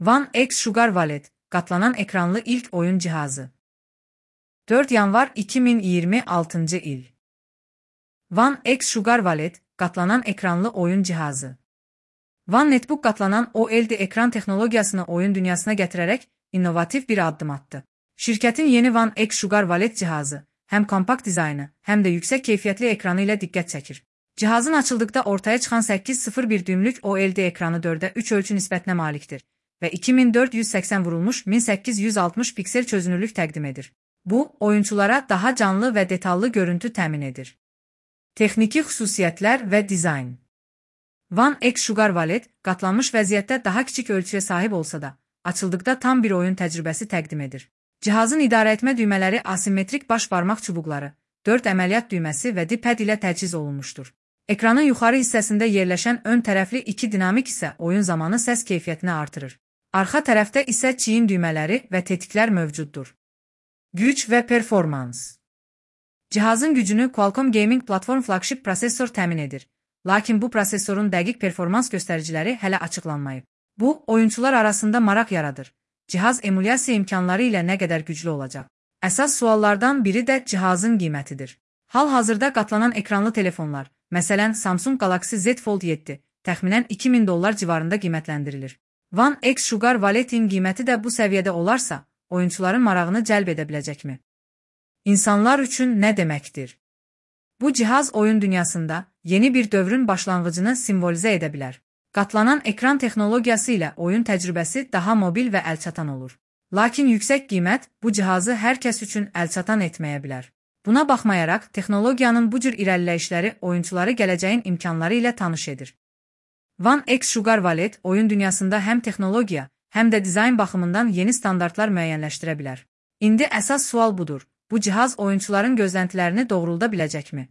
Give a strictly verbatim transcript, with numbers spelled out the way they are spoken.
One X Sugar Wallet, katlanan ekranlı ilk oyun cihazı. dört yanvar iki bin iyirmi altıncı il. One X Sugar Wallet, katlanan ekranlı oyun cihazı. One Netbook katlanan O L E D ekran teknolojisini oyun dünyasına getirerek inovatif bir adım attı. Şirketin yeni One X Sugar Wallet cihazı, hem kompakt dizaynı hem de yüksek keyfiyetli ekranı ile dikkat çekir. Cihazın açıldıkta ortaya çıkan sekiz nöqtə sıfır bir düymlük O L E D ekranı dördə üç ölçü nisbətinə malikdir və iki min dörd yüz səksən vurulmuş min səkkiz yüz altmış piksel çözünürlük təqdim edir. Bu, oyunçulara daha canlı və detallı görüntü təmin edir. Texniki xüsusiyyətlər və dizayn. One X Sugar Wallet, qatlanmış vəziyyətdə daha kiçik ölçüyə sahib olsa da, açıldıqda tam bir oyun təcrübəsi təqdim edir. Cihazın idarəetmə düymələri asimetrik baş barmaq çubuqları, dörd əməliyyat düyməsi və D-pad ilə təchiz olunmuşdur. Ekranın yuxarı hissəsində yerləşən ön tərəfli iki dinamik isə oyun zamanı səs keyfiyyətini artırır. Arxa tərəfdə isə çiyin düymələri və tetiklər mövcuddur. Güc və performans. Cihazın gücünü Qualcomm Gaming Platform flagship prosesor təmin edir. Lakin bu prosesorun dəqiq performans göstəriciləri hələ açıqlanmayıb. Bu, oyunçular arasında maraq yaradır. Cihaz emulyasiya imkanları ilə nə qədər güclü olacaq? Əsas suallardan biri də cihazın qiymətidir. Hal-hazırda qatlanan ekranlı telefonlar, məsələn Samsung Galaxy Z Fold yeddi, təxminən iki min dollar civarında qiymətləndirilir. One X Sugar Wallet-in qiyməti də bu səviyyədə olarsa, oyunçuların marağını cəlb edə biləcəkmi? İnsanlar üçün nə deməkdir? Bu cihaz oyun dünyasında yeni bir dövrün başlanğıcını simvolizə edə bilər. Qatlanan ekran texnologiyası ilə oyun təcrübəsi daha mobil və əlçatan olur. Lakin yüksək qiymət bu cihazı hər kəs üçün əlçatan etməyə bilər. Buna baxmayaraq, texnologiyanın bu cür irəliləyişləri oyunçuları gələcəyin imkanları ilə tanış edir. One X Sugar Wallet oyun dünyasında həm texnologiya, həm də dizayn baxımından yeni standartlar müəyyənləşdirə bilər. İndi əsas sual budur. Bu cihaz oyunçuların gözləntilərini doğrulda biləcəkmi?